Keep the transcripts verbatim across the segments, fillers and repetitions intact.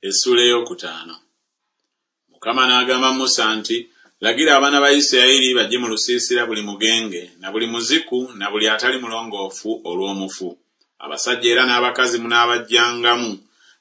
Essuula ey'okutaano. Mukama n'agamba Musa nti, Lagira abaana ba Isirayiri bajje mu lusiisira buli mugenge, na buli muziku, na buli atali mulongoofu olw'omufu. Abasajja era n'abakazi munaabajjangamu,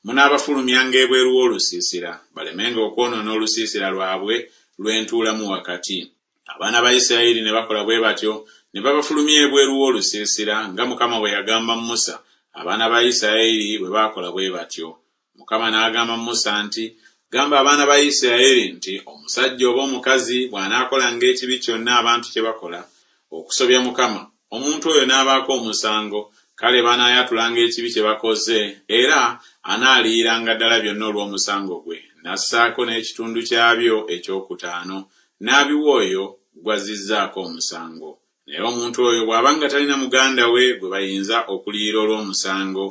munaabafulumyanga ebweru w'olusiisira, balemenga okwonoona olusiisira lwabwe lwe ntuulamu wakati. Abaana ba Isirayiri ne bakola bwe batyo, ne babafulumya ebweru w'olusiisira, nga Mukama bwe yagamba Musa, abaana ba Isirayiri bwe baakola bwe batyo. Mukama n'agamba Musa nti, Gamba abaana ba Isirayiri nti, Omusajja oba omukazi bw'anaakolanga ekibi kyonna abantu kye bakola, okusobya Mukama, omuntu oyo n'abaako omusango, kale banaayatulanga ekibi kye bakoze, era anaaliyiranga ddala byonna olw'omusango gwe, n'assaako n'ekitundu kyabyo ekyokutaano, n'abiwa oyo gw'azzizzaako omusango. Naye omuntu oyo bw'abanga talina muganda we gwe bayinza okuliyira olw'omusango,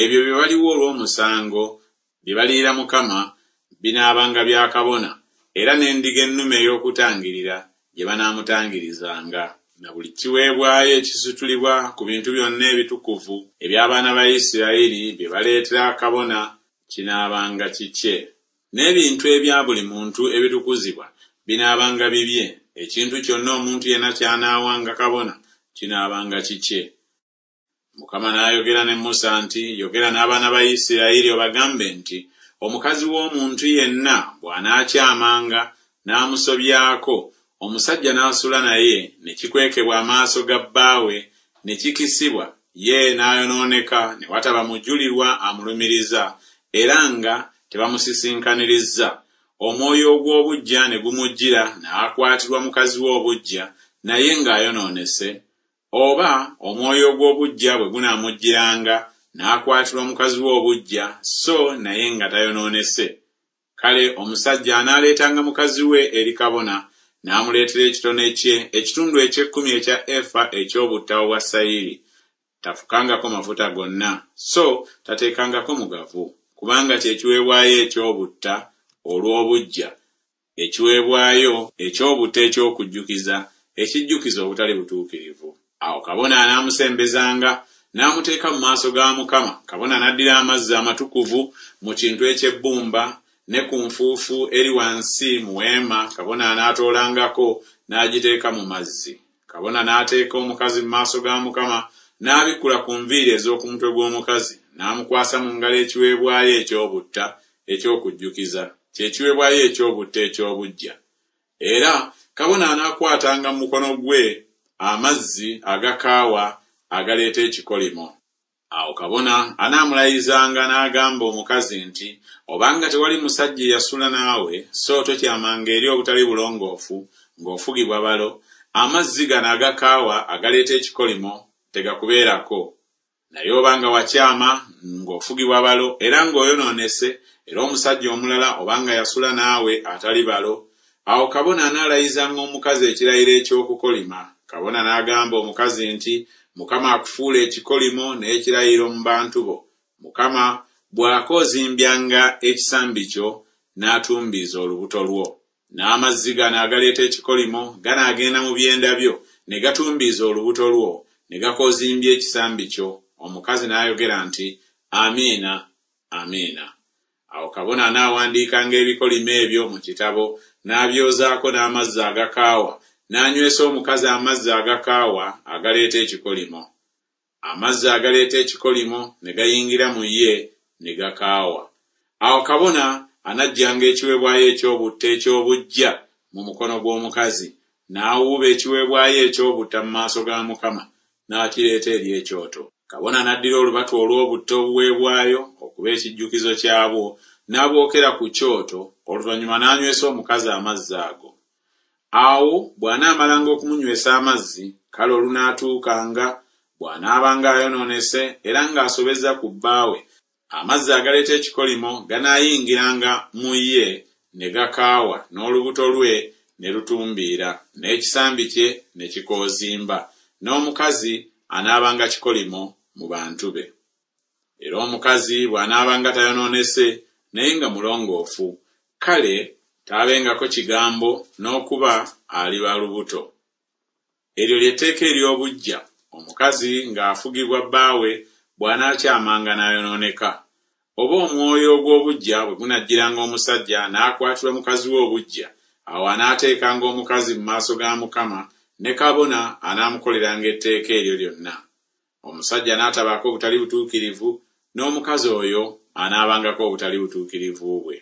ebyo bye baliwa olw'omusango, bye baliyira Mukama, binaabanga bya kabona, era n'endiga ennume ey'okutangirira gye banaamutangirizanga. Na buli kiweebwayo ekisitulibwa ku bintu byonna ebitukuvu eby'abaana ba Isirayiri bye baleetera kabona kinaabanga kikye. N'ebintu ebya buli muntu ebitukuzibwa binaabanga bibye, ekintu kyonna omuntu yenna ky'anaawanga kabona kinaabanga kikye. Mukama n'ayogera ne Musa nti, Yogera n'abaana ba Isirayiri obagambe nti, Omukazi w'omuntu yenna bw'anaakyamanga n'amusobyako, omusajja n'asula naye, ne kikwekebwa amaaso ga bbaawe, ne kikisibwa, ye n'ayonooneka, ne wataba mujulirwa amulumiriza, era nga tebamusisinkanirizza, omwoyo ogw'obuggya ne gumujjira n'akwatirwa mukazi we obuggya, naye ng'ayonoonese, oba omwoyo ogw'obuggya bwe gunaamujjiranga n'akwatirwa mukazi we obuggya, so naye nga tayonoonese. Kale omusajja anaaleetanga mukazi we eri kabona, n'amuleetera ekitone kye, ekitundu eky'ekkumi ekya efa eky'obutta obwa sayiri. Tafukangako mafuta gonna, so tateekangako mugavu, kubanga kye kiweebwayo eky'obutta olw'obuggya, ekiweebwayo eky'obutta eky'okujjukiza, ekijjukiza obutali butuukirivu. Awo kabona anaamusembezanga n'amuteeka mu maaso ga Mukama. Kabona n'addira amazzi amatukuvu mu kintu eky'ebbumba ne ku nfuufu eri wansi mu weema, kabona anaatoolangako n'agiteeka mu mazzi. Kabona n'ateeka omukazi mu maaso ga Mukama, n'abikkula ku nviiri ez'oku mutwe gw'omukazi, n'amukwasa mu ngalo ekiweebwayo eky'obutta eky'okujjukiza, kye kiweebwayo eky'obutta eky'obuggya. Era kabona anaakwatanga mu mukono gwe amazzi agakaawa agaleeta ekikolimo. Awo kabona anaamulayizanga n'agamba omukazi nti, Obanga tewali musajja eyasula naawe, so tokyamanga eri obutali bulongoofu ng'ofugibwa balo, amazzi gano agakaawa agaleeta ekikolimo tegakubeerako. Naye obanga wakyama ng'ofugibwa balo era ng'oyonoonese, era omusajja omulala obanga yasula naawe atali balo, awo kabona anaalayizanga omukazi ekirayiro eky'okukolima. Kabona n'agamba omukazi nti, Mukama akufuula ekikolimo n'ekirayiro mu bantu bo. Mukama bw'akoozimbyanga ekisambi kyo n'atumbiiza olubuto lwo. N'amazzi gano agaleeta ekikolimo ganaagenda mu byenda byo ne gatumbiiza olubuto lwo, ne gakoozimbya ekisambi kyo. Omukazi n'ayogera nti, Amiina, amiina. Awo kabona anaawandiikanga ebikolimo ebyo mu kitabo, n'abyozaako n'amazzi agakaawa, n'anywesa omukazi amazzi agakaawa agaleeta ekikolimo. Amazzi agaleeta ekikolimo ne gayingira mu ye ne gakaawa. Awo kabona anaggyanga ekiweebwayo eky'obutta eky'obuggya mu mukono gw'omukazi, n'awuuba ekiweebwayo eky'obutta mu maaso ga Mukama, n'akireeta eri ekyoto. Kabona n'addira olubatu olw'obutta obuweebwayo okuba ekijjukizo kyabwo, n'abwokera ku kyoto, oluvannyuma n'anywesa omukazi amazzi ago. Awo bw'anaamalanga okumunywesa amazzi, kale olunaatuukanga, bw'anaabanga ayonoonese era ng'asobezza ku bbaawe, amazzi agaleeta ekikolimo ganaayingiranga mu ye ne gakaawa, n'olubuto lwe ne lutumbiira, n'ekisambi kye ne kikoozimba, n'omukazi anaabanga kikolimo mu bantu be. Era omukazi bw'anaabanga tayonoonese naye nga mulongoofu, kale taabengako kigambo n'okuba aliba lubuto. Eryo lye tteeka ery'obuggya, omukazi ng'afugibwa bbaawe bw'anaakyamanga n'ayonooneka. Oba omwoyo ogw'obuggya bwe gunajjiranga omusajja n'akwatirwa mukazi we obuggya, awo anaateekanga omukazi mu maaso ga Mukama, ne kabona anaamukoleranga etteeka eryo lyonna. Omusajja n'atabaako butali butuukirivu, n'omukazi oyo anaabangako obutali butuukirivu bwe.